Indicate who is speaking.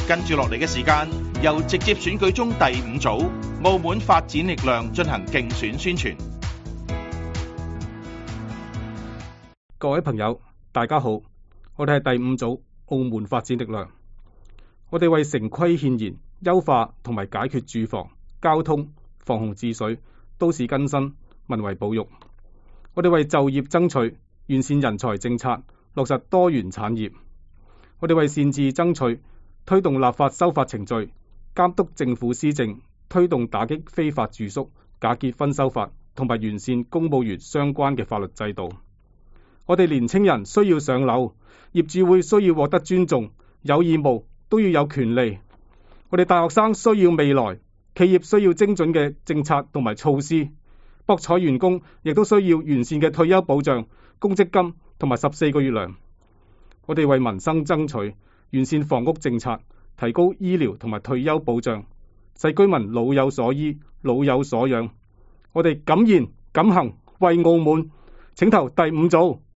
Speaker 1: 跟住落嚟嘅時間，由直接選舉中第5組澳門發展力量進行競選宣傳。
Speaker 2: 各位朋友，大家好，我哋係第5組澳門發展力量。我哋為城規憲言、優化同埋解決住房、交通、防洪治水、都市更新、文遺保育。我哋為就業爭取，完善人才政策，落實多元產業。我哋為善治爭取，推動立法修法程序，監督政府施政，推動打擊非法住宿、假結婚修法，同埋完善公務員相關嘅法律制度。我哋年青人需要上樓，業主會需要獲得尊重，有義務都要有權利。我哋大學生需要未來，企業需要精準嘅政策同埋措施，博彩員工亦都需要完善嘅退休保障、公積金同埋14個月糧。我哋為民生爭取，完善房屋政策，提高醫療同埋退休保障，使居民老有所依、老有所養。我哋敢言敢行，為澳門，請投第5組。